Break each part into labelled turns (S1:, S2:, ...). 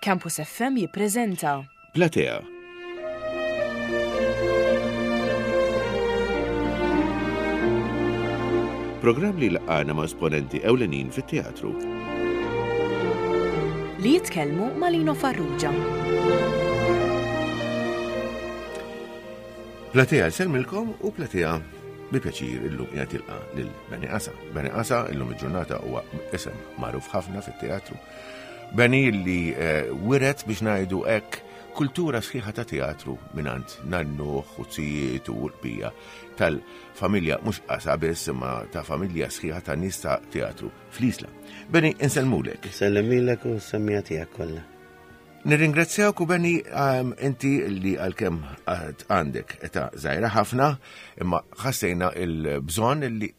S1: Campus FM jippreżenta.
S2: Platea. Programm li laqgħana ma' esponenti ewlenin fit-teatru.
S1: Li jitkellmu ma' Lino Farrugia.
S2: Platea nsellmilkom u Platea bi pjaċir illum qiegħed jilqa' lil Benny Qasa. Benny Qasa illum il-ġurnata huwa isem magħruf ħafna fit-teatru. Benny li eh, wiret biex ngħidu hekk kultura sħiħa ta' teatru mingħand nannuh u zijiet u l-bqija tal-familja mhux qasa biss imma ta' familja sħiħa ta' nies ta' teatru fl-Isla. Benny, insellmulek.
S3: Nsellimilek u s-semmija tiegħek kollha.
S2: Nirringrazzjawk u Benny ehm, inti li għalkemm għandek età żgħira ħafna, imma ħassejna il-bżonn li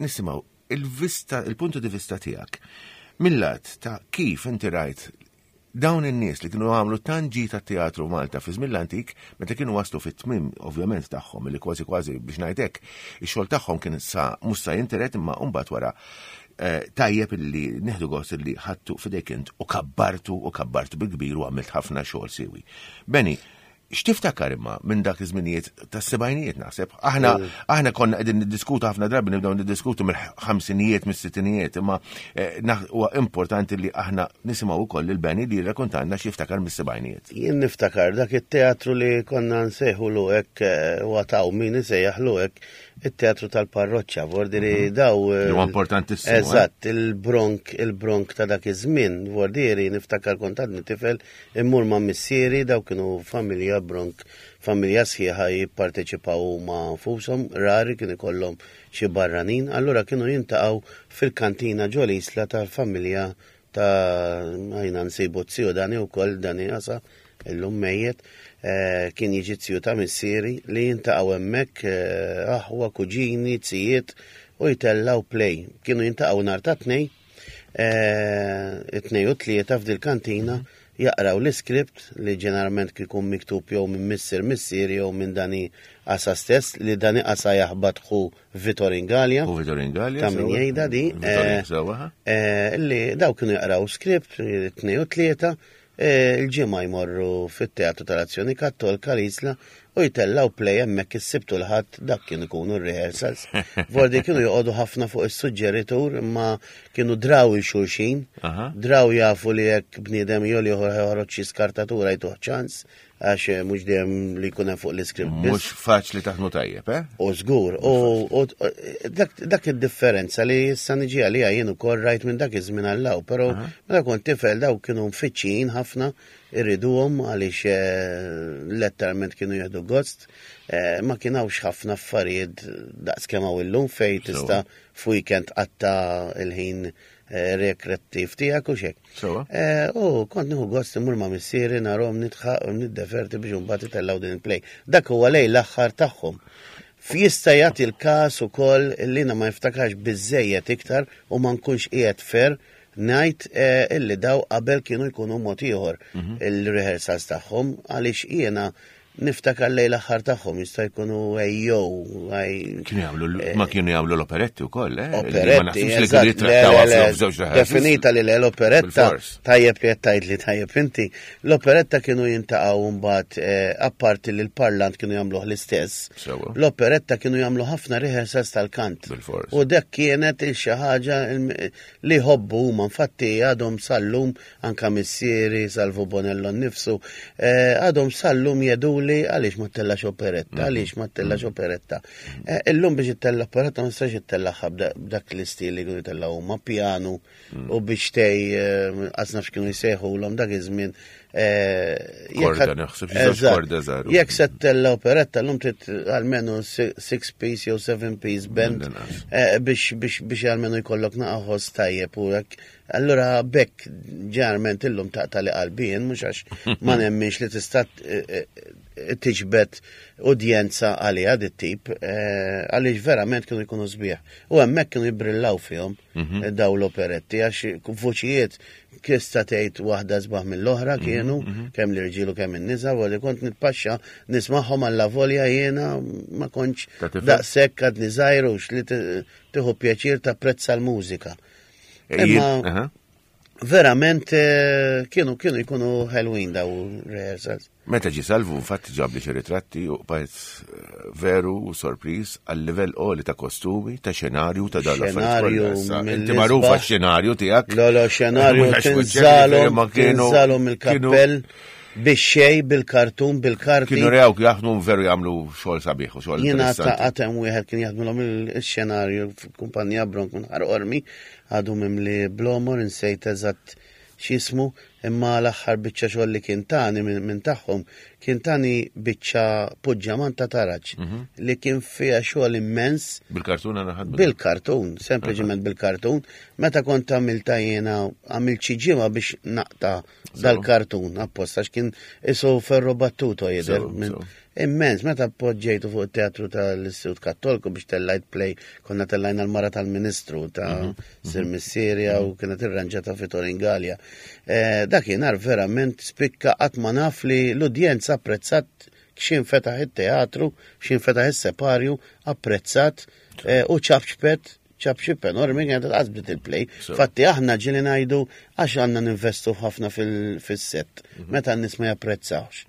S2: nisimgħu il-vista, il-puntu di vista tiegħek. Mill-lat ta' kif inti rajt dawn in-nies li kienu għamlu tant ġid tat-teatru Malta fi żmien l-antik, meta kienu waslu fit-tmiem ovvjament tagħhom li kważi kważi biex ngħidlek, ix-xogħol tagħhom kien sa mhux sa jinteret imma mbagħad wara eh, tajjeb illi nieħdu gost illi ħadtu f'idejk int u kabbartu u kabbartu bil-kbir u għamilt ħafna xogħol siwi. Beni, x'tiftakar imma minn dak iż-żminijiet tas-sebgħinijiet naħseb? Aħna mm. aħna konna qegħdin niddiskutu ħafna drabi nibdew niddiskutu mill-ħamsinijiet, mis-sittinijiet, imma eh, huwa importanti li aħna nisimgħu wkoll lil Beni li jirrakontanna x'jiftakar mis-sebgħinijiet.
S3: Jien niftakar dak it-teatru li konna nsejħu hekk eh, u għataw min isejjaħlu hekk it-teatru tal-parroċċa, vordiri mhm. daw.
S2: Eh, huwa importantissimu.
S3: Eh. Eżatt, il-bronk, il-bronk ta' dak iż-żmien, vordiri niftakar kont għadni tifel immur ma' missieri daw kienu familja bronk, familja sħiħa jipparteċipaw huma nfushom, rari kien ikollhom xi barranin, allura kienu jintaqgħu fil-kantina ġol-isla tal-familja ta' għajna nsibu t-ziju Dani u koll Dani għasa illum mejjet eh, kien jiġi t-ziju ta' missieri li jintaqgħu hemmhekk eh, aħwa, kuġini, zijiet u jtellaw play. Kienu jintaqgħu nhar ta' tnej, eh, it-tnej u tlieta f'dil kantina jaqraw l-iskript li ġeneralment kikun miktub jew minn missier missieri jew minn Dani Qasa stess li Dani Qasa jaħbat ħu Vitor Ingalja.
S2: U Vitor Ingalja.
S3: Ta' min jgħidha di.
S2: Eh,
S3: eh, li daw kienu jaqraw skript, tnej u tlieta, eh, il-ġimgħa jmorru fit-Teatru tal-Azzjoni Kattolka l-Isla u jtellaw play hemmhekk is-Sibt u l-Ħadd dak kienu jkunu r-rehearsals. Vordi kienu joqogħdu ħafna fuq is-suġġeritur imma kienu draw il-xulxin, draw jafu li jekk bniedem jew ieħor ħjoħroġ xi skartatura jtuh ċans, għax eh, mhux dejjem li jkun hemm fuq l-iskript.
S2: Mhux faċli taħdmu tajjeb, eh?
S3: U żgur, u dak id-differenza li issa niġi għalija jien ukoll rajt minn dak iż-żmien għallaw, però meta kont tifel daw kienu mfittxijin ħafna irriduhom għaliex eh, letteralment kienu jieħdu gost, eh, ma kien hawnx ħafna affarijiet daqs kemm hawn illum fejn tista' f'weekend qatta il-ħin rekrettiv tiegħek u xek. Eh, u kont nieħu gost imur ma' missieri narhom nidħaq u niddeverti biex imbagħad itellgħu din il-play. Dak huwa lej l-aħħar tagħhom. F'jista' jagħti l-każ ukoll li ma niftakarx biżejjed iktar u ma nkunx qiegħed fer ngħid eh, illi daw qabel kienu jkunu mod ieħor mhm. il-rehearsals tagħhom għaliex jiena Niftakar lejn l-aħħar tagħhom jista' jkunu ejjew.
S2: Kienu jagħmlu eh, ma kienu jagħmlu l-operetti wkoll, eh?
S3: Operetti, Definita li l-operetta tajjeb li qed tgħid li tajjeb inti. L-operetta kienu jintaqgħu mbagħad eh, apparti li l-parlant kienu jagħmluh l-istess. L-operetta kienu jagħmlu ħafna rehearsals tal-kant. U dak kienet il xi ħaġa li jħobbu huma infatti għadhom sal-lum anka missieri, Salvu Bonello nnifsu, eh, għadhom sal-lum jeduli għaliex ma ttellax operetta, mhm. għaliex ma ttellax mhm. operetta. Eh, illum biex ittella operetta ma nistax ittellaħħa b'dak l-istil li kienu jtella huma pjanu mhm. u biex tej eh, qas nafx kienu jsejħulhom dak iż-żmien.
S2: Korda naħseb, korda żgħar.
S3: Jekk se ttella operetta llum trid almenu six piece jew seven piece band biex biex biex almenu jkollok naqaħos tajjeb u hekk Allura b'hekk ġeneralment illum taqta' li qalbi jien mhux għax ma nemminx li tista' eh, eh, tiġbed udjenza għaliha dit tip eh, għaliex verament kienu jkunu sbieħ. U hemmhekk kienu jibrillaw fihom mhm. daw l-operetti għax vuċijiet tista' tgħid waħda sbaħ mill-oħra mhm, kienu mhm. kemm l-irġiel u kemm in-nisa u li kont nitpaxxa nismagħhom alla volja jiena ma kontx daqshekk għadni żgħir li tieħu pjaċir tapprezza l-mużika. Imma. Verament eh, kienu kienu jkunu ħelwin daw rehearsals.
S2: Meta ġi salvu, infatti ġabli xi ritratti u bqajt eh, veru u sorpriż għal livell qoli ta' kostumi, ta' xenarju, ta' dan
S3: Xenarju
S2: Inti magħruf għax-xenarju tiegħek.
S3: Lo, lo, xenarju tinżalhom tinżalhom il-kappell bix-xej, bil-kartun, bil-karti.
S2: Kienu rew jaħdmu veru jagħmlu xogħol sabiħ u xogħol.
S3: Jiena ta' għatem wieħed kien jaħdmilhom il-xenarju f'kumpanija Bronk minn Ħar Qormi, għadu mimli blomor, insejt eżatt x'jismu, imma l-aħħar biċċa xogħol li kien tani minn tagħhom kien tani biċċa puġġaman ta' taraġ mhm. li kien fiha xogħol immens.
S2: Bil-kartun għana
S3: ħadmu. Bil-kartun, sempliċement bil-kartun. Meta kont għamilta jiena għamilt xi ġimgħa biex naqta' dal-kartun apposta għax kien isu ferro battuto jidher. Immens, meta poġġejtu fuq it-teatru tal-Istitut Kattolku biex tellajt play, konna tellajna l-mara tal-Ministru ta' mhm, mhm. Sir Missierja u mhm. kienet irranġata fi Toringalja. Eh, dakinhar verament spikka qatt ma naf li l-udjenza apprezzat x'in fetaħ it-teatru, x'in fetaħ is-separju, apprezzat eh, u ċapċpet ċapċip enormi kienet qas bdiet il-play. Fatti aħna ġieli ngħidu għax għandna ninvestu ħafna fis-set mhm. meta n-nies ma japprezzawx.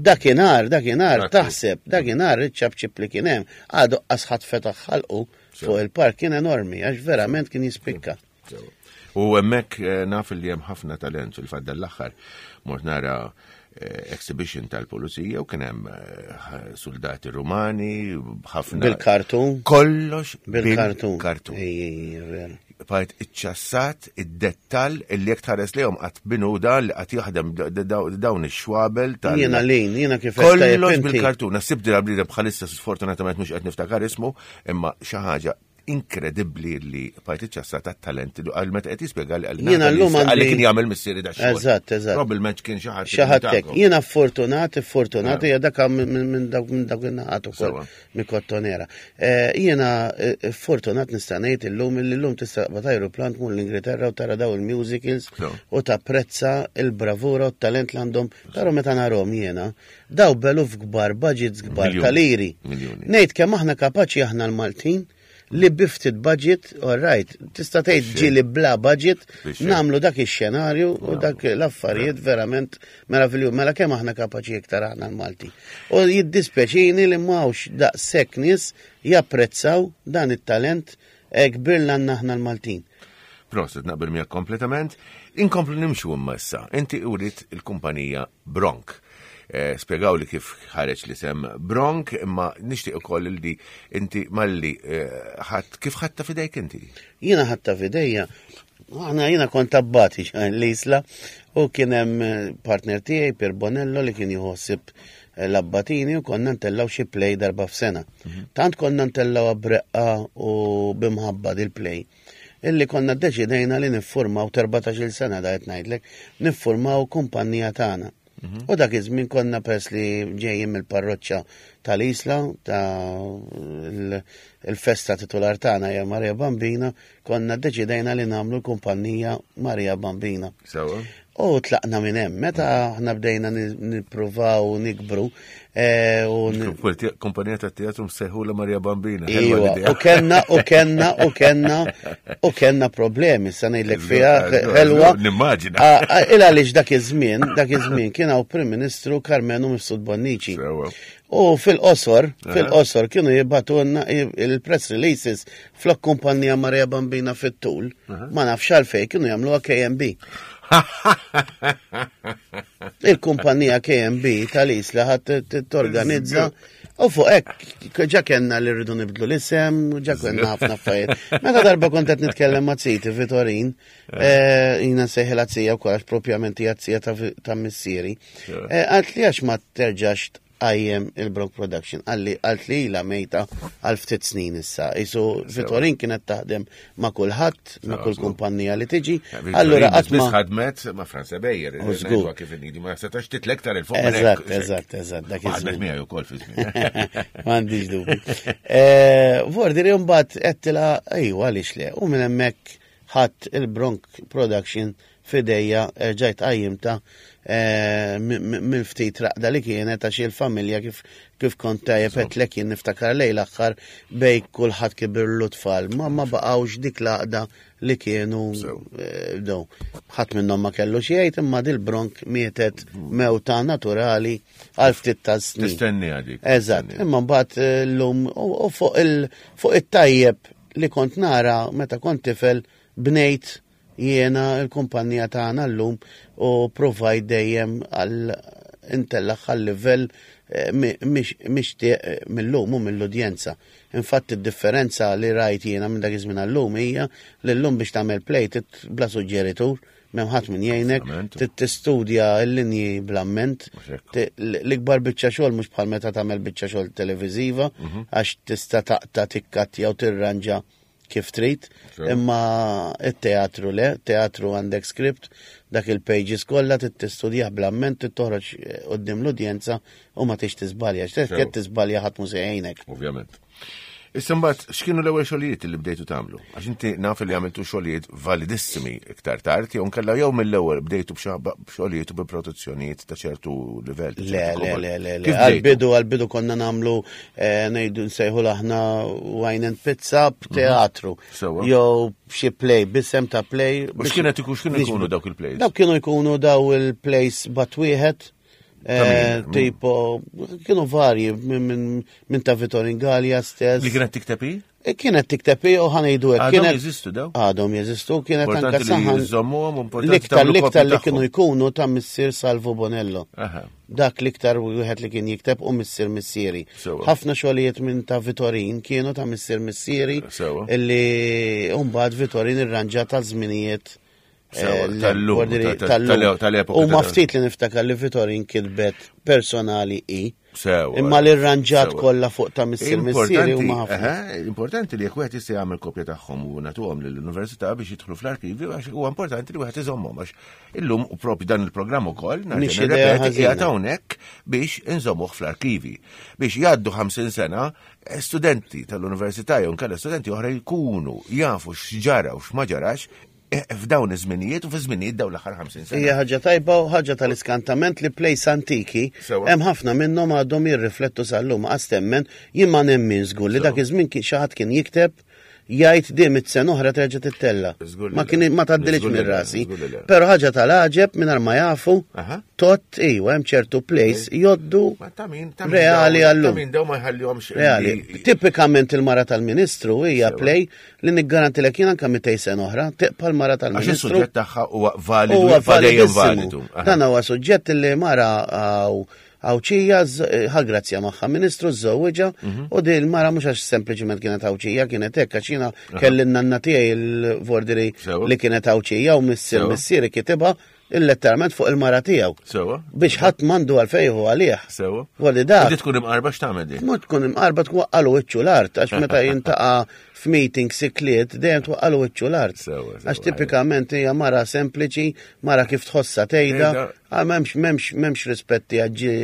S3: Dakinhar, dakinhar taħseb, dakinhar iċ-ċapċip li kien hemm għadu qas ħadd fetaħ ħalqu fuq il-park kien enormi għax verament kien jispikka.
S2: U hemmhekk eh, naf li hemm ħafna talent fil-fatt l-aħħar mort nara eh, exhibition tal-pulizija u kien hemm eh, soldati rumani ħafna.
S3: Bil-kartun.
S2: Kollox
S3: bil-kartun.
S2: Kartun. Bajt iċċassat id-dettal illi jekk tħares lejhom qatt binu dan li qatt jaħdem dawn ix-xwabel
S3: tal. Jiena lin, jiena kif
S2: Kollox bil-kartun. Nasib dira bniedem bħalissa sfortunatament mhux qed niftakar ismu, imma xi ħaġa inkredibbli li parti ċassa ta' talent li għal meta qed jispjega li għal
S3: Jiena llum
S2: għalli kien jagħmel missieri da
S3: xogħol. Eżatt, eżatt.
S2: Probabbilment kien xi ħadd.
S3: Xi ħadd hekk. Jiena fortunat, fortunat hija dak minn dawk minn dawk in-naħat ukoll minn Kottonera. Eh, jiena eh, fortunat nista' ngħid illum illi llum tista' taqbad ajruplan tmur l-Ingilterra u tara daw il-musicals u tapprezza il-bravura u t-talent li għandhom. Però meta narhom jiena, daw beluf kbar, budgets kbar tal-iri. Ngħid kemm aħna kapaċi aħna l-Maltin li biftit budget, all right, tista' tgħid ġieli bla budget, nagħmlu dak ix-xenarju u dak l-affarijiet verament meravilju, mela kemm aħna kapaċi iktar aħna l-Malti. U jiddispjaċini li m'hawnx daqshekk nies japprezzaw dan it-talent eh, kbir l għandna aħna l-Maltin.
S2: Proset, naqbel miegħek kompletament. Inkomplu nimxu imma issa. Inti urid il-kumpanija Bronk. Eh, spjegaw li kif ħareġ l-isem Bronk, imma nixtieq ukoll li inti malli eh, ħadd kif ħadta fidejk inti?
S3: Jiena ħadta fidejja. Aħna jiena kont abbati l-isla u kien hemm eh, partner tiegħi Pier Bonello li kien jħossib l-abbatini u konna ntellaw xi play darba f'sena. Mhm. Tant konna ntellaw breqqa u bimħabba dil-play illi konna ddeċidejna li niffurmaw 14-il sena da qed ngħidlek, niffurmaw kumpanija tagħna. Mhm. U dak iż-żmien konna pers li ġejjin mill-parroċċa tal-Isla ta' il-festa titular tagħna hija Maria Bambina, konna ddeċidejna li nagħmlu l-kumpanija Maria Bambina.
S2: Sewa.
S3: U tlaqna minn hemm, meta aħna bdejna nippruvaw nikbru. Eh,
S2: Kumpanija ta' teatru msejħu la Maria Bambina.
S3: Iwa, u kenna, u kenna, u kenna, u kenna problemi, sa ngħidlek fiha ħelwa.
S2: Nimmaġina.
S3: Il għaliex dak iż-żmien, dak iż-żmien kien hawn Prim Ministru Karmenu Mifsud Bonnici. U fil-qosor, fil-qosor kienu jibatunna il-press releases flok kumpanija Maria Bambina fit-tul, ma nafx għalfej kienu jagħmluha KMB. Il-kumpanija KMB tal-Isla ħadd torganizza u fuq hekk ġa kellna li rridu nibdlu l-isem, ġa kellna ħafna affarijiet. Meta darba kont qed nitkellem ma' Ziti Vitorin, eh, jina nsejħilha zija wkoll għax propjament hija zija ta' missieri. Eh, Għalt li għax ma terġax tqajjem il-Brock Production. Qalli qalt li ilha mejta għal ftit snin issa. Isu Vitorin kienet taħdem ma' kulħadd, ma' kull kumpanija li tiġi. Allura
S2: qatt ma ħadmet ma' Franza Bejer. Żgur kif inhi ma setax titlek tar il fuq.
S3: Eżatt, eżatt, eżatt.
S2: Dak iż-żmien. Miegħi wkoll fi żmien.
S3: M'għandix dubju. Eh, Vordi li mbagħad qedtilha ejwa għaliex le. U minn hemmhekk ħadd il-Bronk Production f'idejja erġajt qajjimtha mill-ftit raqda li kienet għax il-familja kif kif kont tajjeb għedtlek jien niftakar lejn l-aħħar bej kulħadd kibirlu tfal ma ma baqgħux dik l-għaqda li kienu bdew. Ħadd minnhom ma kellu xi jgħid imma dil-bronk mietet mewta naturali għal ftit ta' snin.
S2: Tistenni għadik.
S3: Eżatt, imma mbagħad llum u fuq il fuq it-tajjeb li kont nara meta kont tifel bnejt jiena l-kumpanija tagħna llum u provajt dejjem għal intellagħha għal-livell eh, mixtieq eh, mill-lum u mill-udjenza. Infatti d-differenza li rajt jiena minn dak iż-żmien għal-lum hija li llum biex tagħmel play bla suġġeritur, m'hemm ħadd min jgħinek, tistudja l-linji bl-amment. L-ikbar biċċa xogħol mhux bħal meta tagħmel biċċa xogħol televiżiva mhm. għax tista' taqta' tikkattja u tirranġa kif trid, imma it-teatru le, teatru għandek script, dak il-pages kollha trid tistudjah bl-amment, trid toħroġ eh, quddiem l-udjenza u ma tix tiżbalja. X'qed tiżbalja ħadd mhu se jgħinek.
S2: Ovvjament. Issa mbagħad x'kienu l-ewwel xogħlijiet li bdejtu tagħmlu? Għax inti naf li għamiltu xogħlijiet validissimi iktar tard jew nkella jew mill-ewwel bdejtu b'xogħlijiet u bi produzzjonijiet ta' ċertu livell.
S3: Le, le, le, le, le. Għal-bidu, għal-bidu konna nagħmlu eh, ngħidu nsejħu aħna wine and pizza b'teatru. Mhm. Jew xi play, bisem ta' play.
S2: U x'kienet ikun x'kienu jkunu dawk il-plays?
S3: Dawk kienu jkunu daw il-plays bat wieħed. Eh, tipo, kienu varji minn ta' Vittorin Gallia stess.
S2: Li kienet tikteb hi?
S3: Eh, kienet tikteb hi u ħanejdu
S2: hekk. Għadhom jeżistu daw?
S3: Għadhom jeżistu, kienet
S2: anka saħan.
S3: L-iktar l-iktar li kienu jkunu ta' missier Salvo Bonello. Dak l-iktar wieħed li kien jikteb u missier missieri. Ħafna xogħlijiet minn ta' Vitorin kienu ta' missier missieri illi mbagħad Vitorin irranġa ta' żminijiet
S2: eh, tal-epoka.
S3: U ma ftit li niftakar li Vitorin kitbet personali i. Imma l-irranġat kollha fuq ta' missier missieri huma
S2: ħafna. Importanti li jekk wieħed jista' jagħmel kopja tagħhom u nagħtuhom lill-università biex jidħlu fl-arkivju għax huwa importanti li wieħed iżommhom għax illum u propju dan il-programm ukoll
S3: nerġa' nirrepeti
S2: qiegħed hawnhekk biex inżommuh fl-arkivi biex jgħaddu 50 sena eh, studenti tal-università jew nkella studenti oħra jkunu jafu x'ġara u x'ma ġarax Eh, f'dawn iż-żminijiet u fi żminijiet dawn l-aħħar 50 sena.
S3: Hija ħaġa tajba u ħaġa tal-iskantament li plejs antiki hemm ħafna minnhom għadhom jirriflettu sal-lum għas temmen jien ma nemmin żgur li dak iż-żmien xi ħadd kien jikteb jgħid di mit sena oħra terġa' tittella. Ma kien ma tgħaddilix minn rasi. Però ħaġa tal-għaġeb mingħajr ma jafu tot iwa hemm ċertu place joddu reali għallum.
S2: Reali.
S3: Tipikament il-mara tal-ministru hija play Li niggarantilek jien anke 200 sena oħra, tibqa' l-mara tal-Ministru.
S2: Għax is-suġġett tagħha huwa validu. Huwa validu.
S3: Dan huwa suġġett li mara Għawċija ħa grazzja magħha ministru żżewwiġha mhm. u din il-mara mhux għax sempliċiment kienet Għawċija kienet hekk għax jiena kelli n-nanna tiegħi l-vordiri li kienet Għawċija u missier missieri kitibha illetteralment fuq il-mara tiegħu.
S2: Sewa.
S3: Biex ħadd m'għandu għalfejn hu għalih.
S2: Sewa.
S3: Għalli dak.
S2: Di tkun imqarba x'tagħmel di?
S3: Mhux tkun imqarba tkun waqqalu wiċċu l-art għax meta jintaqa' f'meeting sikliet dejjem twaqqalu wiċċu l-art. Għax tipikament hija mara sempliċi, mara kif tħossha tgħidha, ah, m'hemmx m'hemmx m'hemmx rispetti għal ġi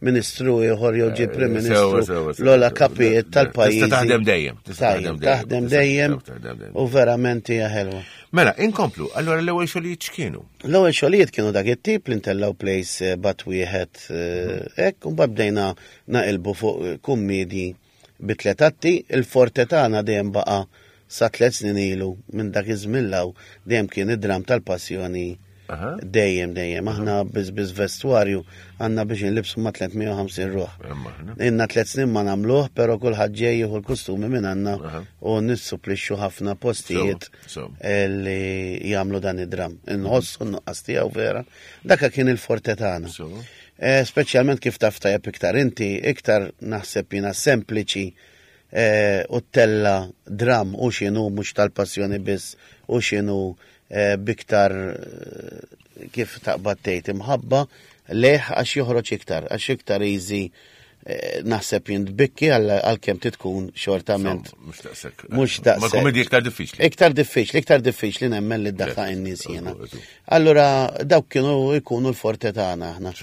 S3: ministru ieħor jew ġi prim ministru l-ola kapijiet tal-pajjiż.
S2: Tista' taħdem dejjem.
S3: Taħdem dejjem u verament hija ħelwa.
S2: Mela, inkomplu, allora l-ewwel xogħlijiet x'kienu?
S3: L-ewwel xogħlijiet kienu dak it-tip li ntellgħu plays eh, bat wieħed eh, hekk, u mbagħad bdejna naqilbu fuq eh, kummedji bi tliet atti, il-forte tagħna dejjem baqa' sa tliet snin ilu minn dak iż-żmien law dejjem kien id-dram tal-passjoni Dejjem, dejjem. Aħna biss biss vestwarju għandna biex inlibsu ma' 350 ruħ. Inna tliet snin ma nagħmluh, però kulħadd ġej jieħu l-kostumi minn għandna u nissupplixxu ħafna postijiet li jagħmlu dan id-dram. Inħossu n-nuqqas tiegħu vera. Daka kien il-forte tagħna. Eh, speċjalment kif taf tajjeb iktar inti, iktar naħseb jiena sempliċi eh, u tella dram u x'inhu mhux tal-passjoni biss u x'inhu Eh, biktar eh, kif taqbad tgħid imħabba leħ għax joħroġ iktar, għax iktar easy eh, naħseb jintbikki għal-kem titkun xortament.
S2: Mux daqsek.
S3: Mux daqsek.
S2: Ma komedi iktar diffiċli.
S3: Iktar diffiċli, iktar diffiċli nemmen li d-daħħa n-nies jena. Allura, dawk kienu jkunu l-forte tagħna aħna.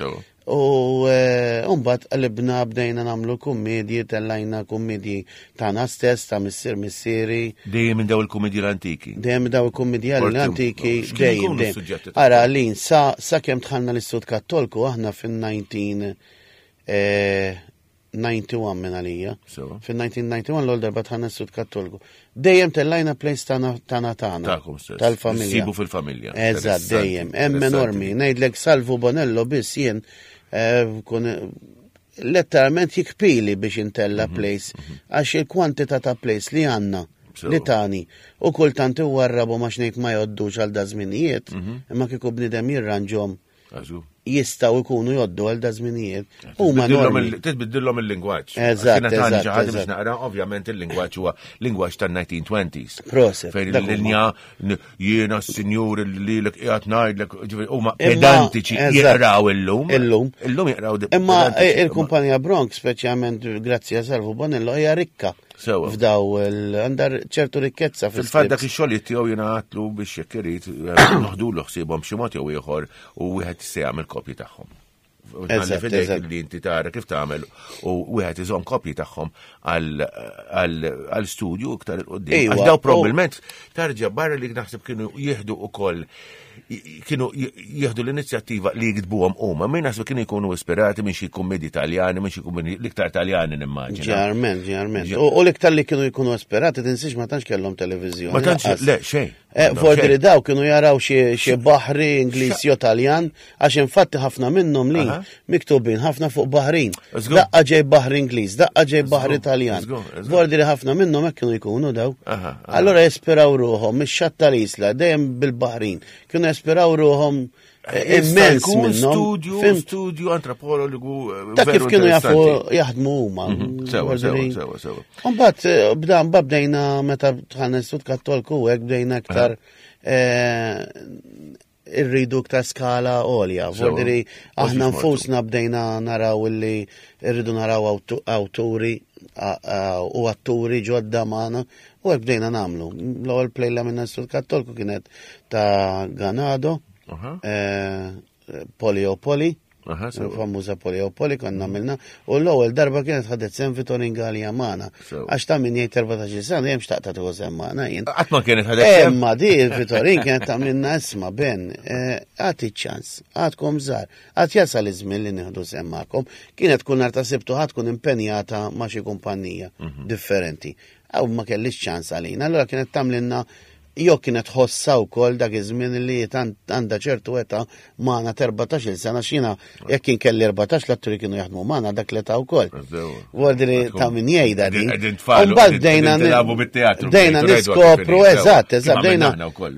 S3: U eh, mbagħad qalibna bdejna nagħmlu kummedji, tellajna kummedji tagħna stess, ta' missier missieri.
S2: Dejjem minn daw il-kummedji l-antiki.
S3: Dejjem daw il-kummedji l-antiki, dejjem. dejjem. Ara, lin, sa, sa kemm dħalna l-Istud Kattolku aħna fin-19 eh, 91 minn għalija. Fin-1991 l-ewwel darba tħanna s-Sud Kattoliku. Dejjem tellajna place tagħna tagħna tagħna. Tal-familja.
S2: Sibu fil-familja.
S3: Eżatt, dejjem. Hemm enormi. Ngħidlek Salvu Bonello biss jien eh, kun letteralment jikpili biex intella mhm, place mhm. għax il-kwantità ta' place li għandna li tani u kultant iwarrabu ma xnejt ma joddux għal da żminijiet mhm. imma kieku bnidem jirranġhom jistgħu jkunu joddu għal da żminijiet.
S2: Huma normi. Titbiddilhom il-lingwaġġ.
S3: Eżatt.
S2: Eżatt. Ħaġa biex naqra, ovvjament il-lingwaġġ huwa lingwaġġ tan-1920s.
S3: Proset.
S2: Fejn il-linja jiena s-sinjur li lek qiegħed ngħidlek, huma pedantiċi jaqraw illum.
S3: Illum.
S2: Illum jaqraw.
S3: Imma il-kumpanija Bronx, speċjalment grazzi għal Salvu Bonello, hija rikka.
S2: Sewa.
S3: F'daw għandha ċertu rikkezza
S2: fil Fil-fatt dak ix-xogħlijiet tiegħu jiena għatlu biex jekk irid eh, noħdulu ħsiebhom xi mod jew ieħor u wieħed se jagħmel kopji tagħhom. Eżatt, li inti tara kif tagħmel u wieħed iżomm kopji tagħhom għal studju iktar il-qudiem. Għax daw probabbilment tarġa' barra li naħseb kienu jieħdu ukoll kienu jieħdu l-inizjattiva li jiktbuhom huma, min naħseb kienu jkunu ispirati minn xi kummedi Taljani, minn xi kummedi l-iktar Taljani nimmaġina.
S3: Ġarment, ġarment. U l-iktar li kienu jkunu ispirati tinsiex ma tantx kellhom televiżjoni.
S2: Ma tantx, le, xejn.
S3: Eh, Fordri daw kienu jaraw xi baħri Ingliż jew Taljan, għax infatti ħafna minnhom li miktubin ħafna fuq baħrin. Daqqa ġej baħri Ingliż, daqqa ġej baħri Taljan. Vordiri ħafna minnhom hekk kienu jkunu daw. Allora jesperaw ruħhom mix-xatt tal-isla dejjem bil-baħrin. Kienu jesperaw ruħhom eh, immens minnhom.
S2: Studju, studju antropologu.
S3: Eh, Ta' kif kienu jafu jaħdmu huma.
S2: Mhm. Sewa, sewa, sewa, sewa.
S3: Mbagħad eh, bda bdejna meta dħalna Istitut Kattolku hekk bdejna aktar irridu iktar skala għolja. Vordiri, aħna nfusna bdejna naraw illi irridu naraw awturi u atturi ġodda magħna u hekk bdejna nagħmlu. L-ewwel play li għamilna Istitut Kattolku kienet ta' Ganado, eh, Polio Poli. Famuża Poliopoli konna għamilna u l-ewwel darba kienet ħadet sem Vitorin Gallia magħna. Għax ta' min jgħid 14 sena hemm xtaqta tieħu sem magħna jien.
S2: Qatt ma kienet ħadet sem.
S3: Imma di Vitorin kienet tagħmilna isma' Ben, eh, għati ċans, għadkom żgħar, għad jasal iż-żmien li nieħdu sem magħkom. Kienet kull nhar ta' Sibtu ħadd tkun impenjata ma' xi kumpanija mhm. differenti. Aw ma kellix ċans għalina, allura kienet tagħmlilna jew kienet tħossha wkoll dak iż-żmien li għandha ċertu età magħna t'14-il sena x'jiena jekk kien kelli 14 l-atturi kienu jaħdmu magħna dak l-età wkoll. Vuol ta' min jgħidha din.
S2: Mbagħad bdejna
S3: bdejna niskopru eżatt, eżatt, bdejna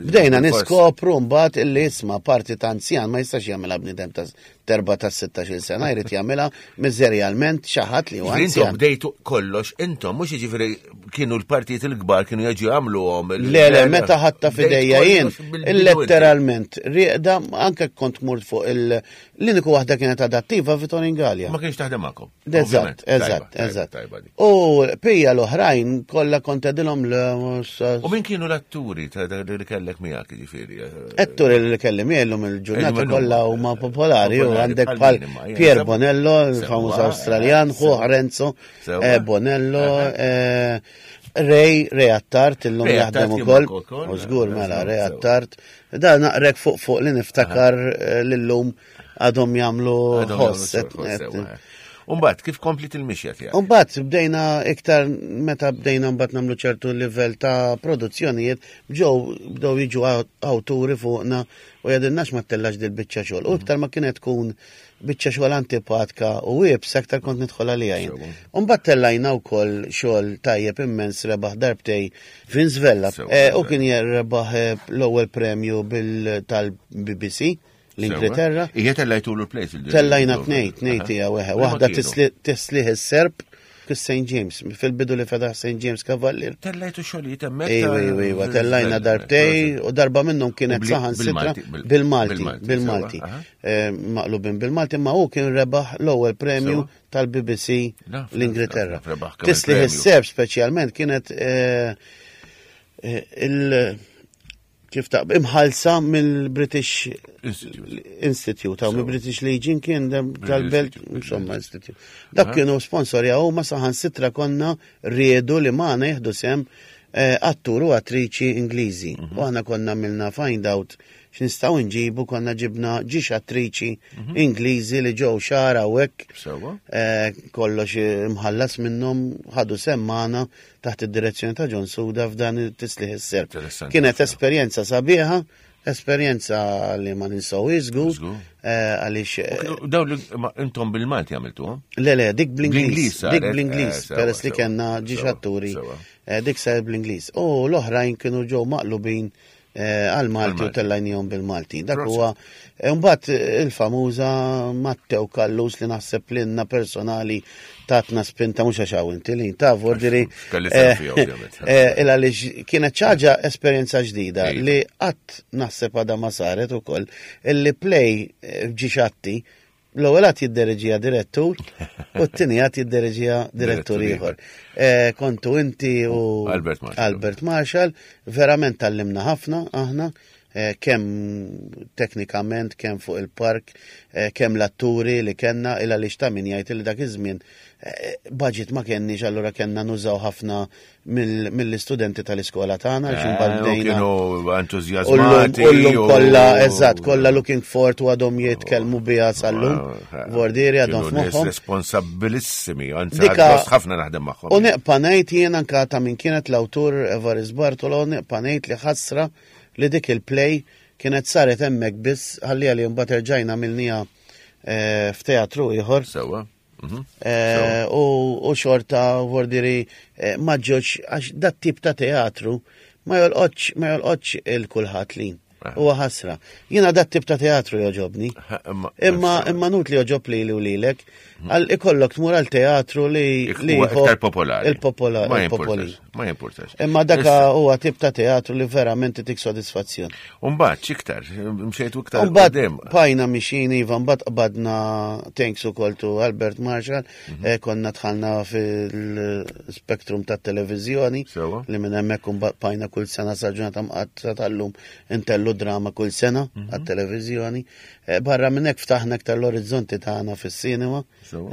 S3: bdejna niskopru mbagħad illi isma' parti ta' anzjan ma jistax jagħmilha bniedem ta' terba ta' 16 sena jrid jagħmilha miżerjalment xi ħadd li huwa
S2: Intom bdejtu kollox, intom mhux jiġifieri kienu l-partijiet il-kbar kienu jiġu jagħmluhom.
S3: Le, le, meta ħadta f'idejja jien, letteralment, rieqda anke kont murt fuq il l-uniku waħda kienet adattiva Vitorin Gallia.
S2: Ma kienx taħdem magħkom.
S3: Eżatt, eżatt, eżatt. U pija l-oħrajn kollha kont għedilhom l
S2: U min kienu l-atturi li kellek miegħek jiġifieri?
S3: Atturi li kelli miegħi llum il-ġurnata kollha huma popolari u għandek bħal Pier Bonello, il-famuż Awstraljan, ħuh Renzo eh, Bonello, eh, Ray, Ray Attard, illum jaħdem ukoll. U żgur mela Ray Attard. Da naqrek fuq fuq li niftakar eh, lillum għadhom jagħmlu ħoss.
S2: Umbat, kif komplit il-mixja tiegħek?
S3: Umbat, bdejna iktar meta bdejna mbagħad nagħmlu ċertu livell ta' produzzjonijiet, ġew bdew jiġu awturi fuqna u jgħidilnax ma tellax dil biċċa xogħol. U iktar ma kienet tkun biċċa xogħol antipatka u iebsa aktar kont nidħol għaliha jien. Umbat tellajna wkoll xogħol tajjeb immens rebaħ darbtej Vince Vella. Eh, u kien rebaħ eh, l-ewwel premju tal-BBC l-Ingilterra.
S2: Ija tellajtu l-plejs.
S3: Tellajna tnej, tnej tija weħe. Waħda tislih is-serp kis St. James, fil-bidu li fetaħ St. James Cavalier.
S2: Tellajtu xogħlijiet hemmhekk.
S3: Ejwa, ejwa, ejwa, tellajna darbtej u darba minnhom kienet saħan sitra bil-Malti, bil-Malti. Eh, maqlubin bil-Malti, ma hu kien rebaħ l-ewwel premju tal-BBC l-Ingilterra. Tislih is-serp speċjalment kienet eh, eh, il- Kif ta' imħalsa mill-British
S2: Institute.
S3: Institute, għaw mill-British Legion kien tal-Belt, insomma, Institute. Dak kienu sponsorja u ma saħan sitra konna riedu li maħna jihdu sem eh, attur u attriċi Ingliżi. Mhm. U aħna konna milna find out x'nistgħu nġibu konna ġibna ġiex attriċi mhm. Ingliżi li ġew xara u hekk. Eh, kollox imħallas minnhom ħadu sem magħna taħt id-direzzjoni ta' John Suda f'dan it-tislih is-serb. Kienet esperjenza sabiħa, esperjenza li ma ninsaw żgur, eh, għaliex.
S2: Eh, daw li intom bil-Malti għamiltu?
S3: Le, le, dik bl-Ingliż. Dik bl-Ingliż, eh, peress li kellna ġiex atturi. Dik sar bl-Ingliż. U l-oħrajn kienu ġew maqlubin Eh, għal-Malti u tellajnijom bil-Malti. Dak huwa eh, mbagħad eh, il-famuża Matteo Kallus li naħseb lilna personali tatna spinta mhux għax hawn inti li ta' vordiri. Il għaliex kienet ċaġa esperjenza ġdida li qatt naħseb għadha ma saret ukoll illi play ġixatti L-ewwel għad jiddereġija direttur u t-tieni għad jiddereġija direttur ieħor. Eh, kontu inti u
S2: Albert Marshall.
S3: Albert Marshall, verament tallimna ħafna aħna eh, kemm teknikament, kemm fuq il-park, eh, kemm l-atturi li kellna il għaliex ta' min jgħid li dak iż-żmien budget ma kenniex allura kellna nużaw ħafna mill-istudenti tal-iskola tagħna għax imbagħad eh,
S2: bdejna. Kienu entużjażmati.
S3: U llum kollha eżatt, kollha looking forward u għadhom jitkellmu biha sal-lum. Eh, Vordieri għadhom f'moħħhom.
S2: Responsabilissimi, anzi ħafna naħdem magħhom.
S3: U neqpa' ngħid jien anke ta' min kienet l-awtur Evaris Bartolo, neqpa' ngħid li ħasra li dik il-play kienet saret hemmhekk biss ħalli li mbagħad erġajna milnija eh, f'teatru ieħor.
S2: Sewwa. Mhm.
S3: Eh, u xorta vordiri eh, ma ġoċ għax dat tip ta' teatru ma jolqotx ma jolqotx il-kulħadd li. Eh. Huwa ħasra. Jiena dat tip ta' teatru joġobni. Imma imma nut li joġob li u lilek, mhm. għal ikollok tmur għal teatru li
S2: li iktar popolari.
S3: Il-popolari.
S2: Ma jimpurtax.
S3: Imma daka huwa tip ta' teatru li verament itik sodisfazzjon.
S2: Umbagħad x'iktar, mxejtu iktar
S3: Umbagħad bajna mixin iva, mbagħad qbadna thanks ukoll to Albert Marshall, mhm. eh, konna dħalna fil-spektrum tat-televiżjoni li minn hemmhekk imbagħad bajna kull sena sa ġurnata mqatta tal-lum intellu drama kull sena mhm. għat-televiżjoni. Eh, barra minn hekk ftaħna iktar l-orizzonti tagħna fis-sinema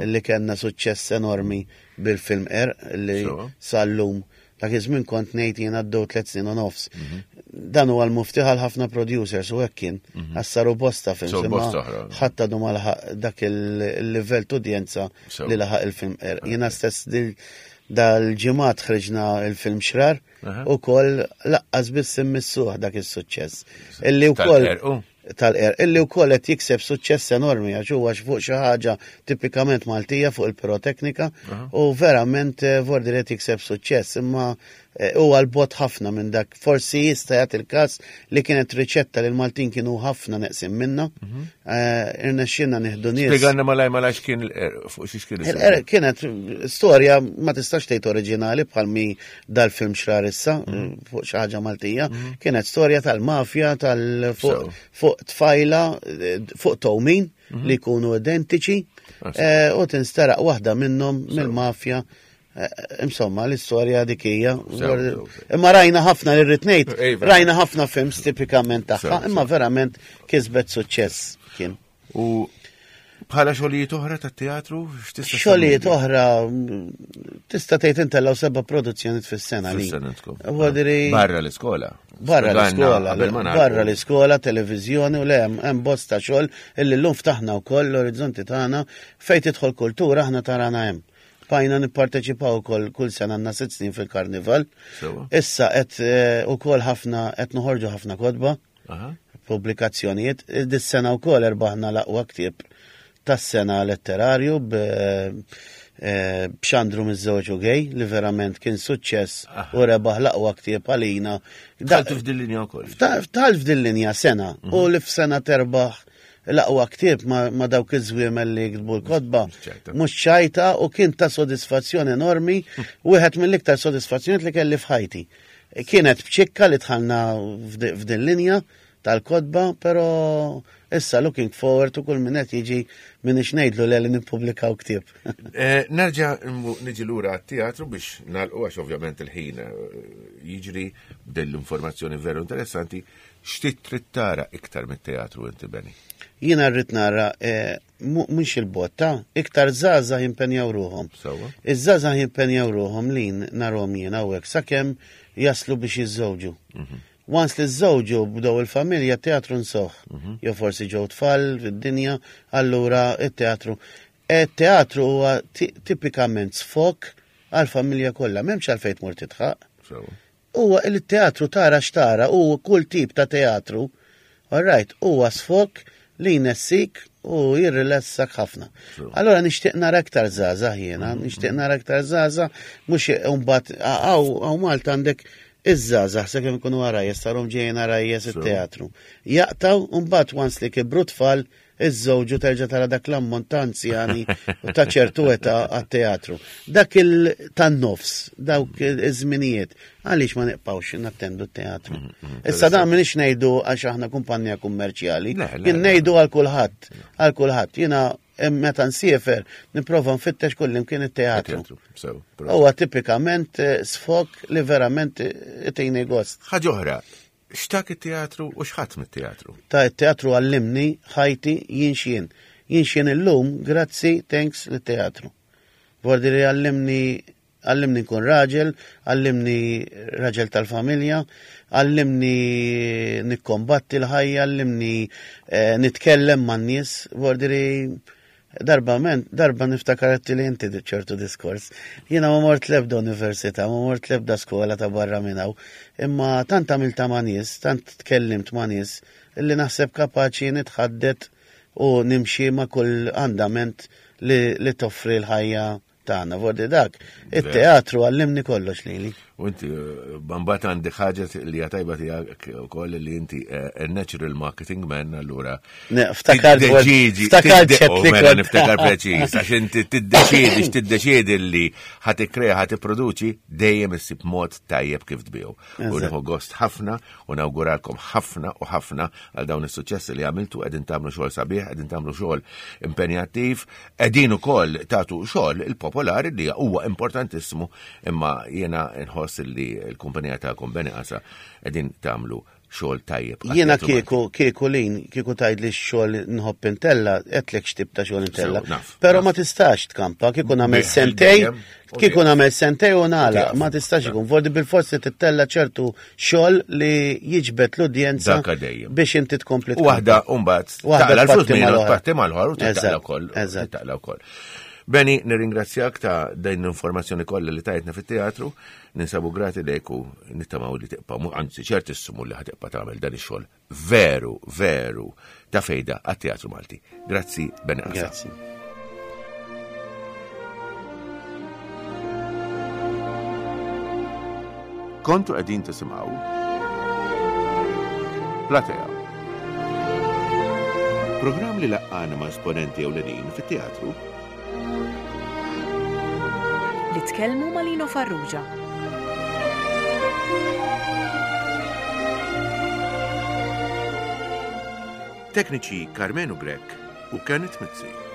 S3: li kellna suċċess enormi bil-film Qerq li sal-lum dak iż-żmien kont ngħid jien għaddew tliet snin u nofs. Mhm. Dan huwa l-muftiħ għal ħafna producers u hekk kien. Mhm. Għas saru bosta films. Ħadd għadu ma laħaq dak il-livell t'udjenza li laħaq il-film Qerq. Jiena stess dal-ġimgħat ħriġna il-film Xrar u koll laqqas biss immissuh dak is-suċċess. Illi wkoll tal-qerq, illi wkoll qed jikseb suċċess enormi għax huwa fuq xi ħaġa tipikament Maltija fuq il-piroteknika u verament eh, vordi qed jikseb suċċess imma eh, huwa l-bot ħafna minn dak. Forsi jista' jagħti il-każ li kienet riċetta li l-Maltin kienu ħafna neqsin minna. Mhm. Eh, irnexxinna nieħdu nies.
S2: Spjegalna malaj malaj x'kien il-qerq fuq xi x'kien
S3: il-qerq. Kienet storja ma tistax tgħid oriġinali bħal mi dal-film xrar issa mhm. fuq xi ħaġa Maltija, mhm. kienet storja tal-mafja tal fuq tfajla fuq towmin mhm. li jkunu identiċi ah, eh, u tinsteraq waħda minnhom mill-mafja. Eh, insomma, l-istorja dik hija. Imma rajna ħafna li rrid ngħid, rajna ħafna films tipikament tagħha, imma verament kisbet suċċess kien.
S2: U bħala xogħlijiet oħra tat-teatru
S3: x'tista' Xogħlijiet oħra tista' tgħid intellgħu seba' produzzjonijiet fis-sena li.
S2: Barra l-iskola.
S3: Barra l-iskola, barra l-iskola, televiżjoni u le hemm bosta xogħol illi llum ftaħna wkoll l-orizzonti tagħna fejn tidħol kultura aħna tarana hemm. Bajna nipparteċipaw ukoll kull sena għandna sitt snin fil-karnival. Issa qed eh, ukoll ħafna qed noħorġu ħafna kotba. Pubblikazzjonijiet. Dis-sena wkoll erbaħna l-aqwa ktieb tas-sena letterarju eh, b'Xandru miż-żewġ u gej li verament kien suċċess u rebaħ l-aqwa ktieb għalina.
S2: Dħaltu f'din linja wkoll.
S3: Dħalt f'din linja sena u mhm. li f'sena terbaħ l-aqwa ktieb ma dawk iż-żwiemel li jiktbu l-kotba mhux ċajta u kien ta' sodisfazzjon enormi, wieħed mill-iktar sodisfazzjonijiet li kelli f'ħajti. Kienet b'ċikka li dħalna f'din linja tal-kotba, pero Issa looking forward to kull min qed jiġi m'iniex ngħidlu le li nippubblikaw ktieb.
S2: Eh, nerġa' niġi lura għat-teatru biex nagħlqu għax ovvjament il-ħin eh, jiġri b'din l-informazzjoni veru interessanti. X'trid trid tara iktar mit-teatru inti Beni?
S3: Jiena rrid nara eh, mhux il-botta, iktar żgħażagħ jimpenjaw ruħhom. Iż-żgħażagħ jimpenjaw ruħhom li narhom jien hawnhekk sakemm jaslu biex jiżżewġu. Mhm. Once li żżewġu bdew il-familja teatru nsoħ. Mhm. Jew forsi ġew tfal fid-dinja, allura it-teatru. E, teatru huwa tipikament sfok għal-familja kollha, m'hemmx għalfejn tmur titħaq. Huwa il-teatru tara x'tara u kull tip ta' teatru, all right, huwa sfok li jnessik u jirrilassak ħafna. Allora nixtieq nara aktar żgħażagħ jiena, mhm. nixtieq nara aktar żgħażagħ, mhux imbagħad hawn Malta għandek iż-żgħażagħ sakemm ikunu għarajjes tarhom ġejjin għarajjes it-teatru. Jaqtaw u mbagħad once li kibru tfal iżżewġu terġa' tara dak l-ammont ta' anzjani u ta' ċertu età għat-teatru. Dak il tan-nofs, dawk iż-żminijiet, għaliex ma nibqgħux nattendu t-teatru. Mm, mm, Issa dan m'iniex ngħidu għax aħna kumpanija kummerċjali, jien ngħidu għal kulħadd, għal kulħadd. Jiena meta nsiefer nipprova nfittex kullimkien it-teatru. Huwa tipikament eh, sfok li verament itini gost.
S2: Ħaġa oħra, X'tak it-teatru u x'ħadd mit-teatru?
S3: Ta' it-teatru għallimni ħajti jien x'jien. Jien x'jien illum grazzi thanks lit-teatru. Vordi li għallimni għallimni nkun raġel, għallimni raġel tal-familja, għallimni nikkombatti l-ħajja, għallimni eh, nitkellem man-nies, vordi li Darba men, darba niftakar li inti ċertu diskors. Jiena ma mort lebda università, ma mort lebda skola ta' barra minn hawn, imma tant għamilta ma' nies, tant tkellimt ma' nies, illi naħseb kapaċi nitħaddet u nimxi ma' kull andament li, li toffri l-ħajja tagħna. Vordi dak, it-teatru għallimni kollox lili.
S2: U inti, eh, mbagħad għandi ħaġa li hija tajba tiegħek ukoll li inti eh, a natural marketing man allura.
S3: Ftakar
S2: ftakar oh, mela niftakar preċiż għax inti tiddeċiedi x'tiddeċiedi li ħa tikkrea ħa tipproduċi dejjem issib mod tajjeb kif tbigħu. U nieħu gost ħafna u nawguralkom ħafna u ħafna għal dawn is-suċċessi li għamiltu qegħdin tagħmlu xogħol sabiħ, qegħdin tagħmlu xogħol impenjattiv, qegħdin ukoll tagħtu xogħol il-popolari li huwa importantissimu imma jiena nħoss li l-kumpanija tagħkom Beni Qasa qegħdin tagħmlu xogħol tajjeb.
S3: Jiena kieku kieku lin kieku tgħid li x-xogħol nħobb intella, qedlek x'tip ta' xogħol intella. Però ma tistax tkampa kieku nagħmel sentej, kieku nagħmel sentej u nagħlaq, ma tistax ikun. Vordi bil-forsi tittella ċertu xogħol li jiġbed l-udjenza biex inti tkompli.
S2: Waħda mbagħad taqla l-flus minn parti mal-ħor u taqla wkoll. Taqla wkoll. Beni, nirringrazzjak ta' din l-informazzjoni kollha li tajtna fit-teatru, ninsabu grati lejk u nittamaw li tibqa' anzi ċertissimu li ħatibqa' tagħmel dan ix-xogħol veru, veru ta' fejda għat-teatru Malti. Grazzi, Beni
S3: Grazzi.
S2: Kontu qegħdin tisimgħu Platea. Programm li laqqana ma' esponenti ewlenin fit-teatru
S1: Li tkellmu ma' Lino Farrugia.
S2: Tekniċi Karmenu Grech u Kenneth Mizzi.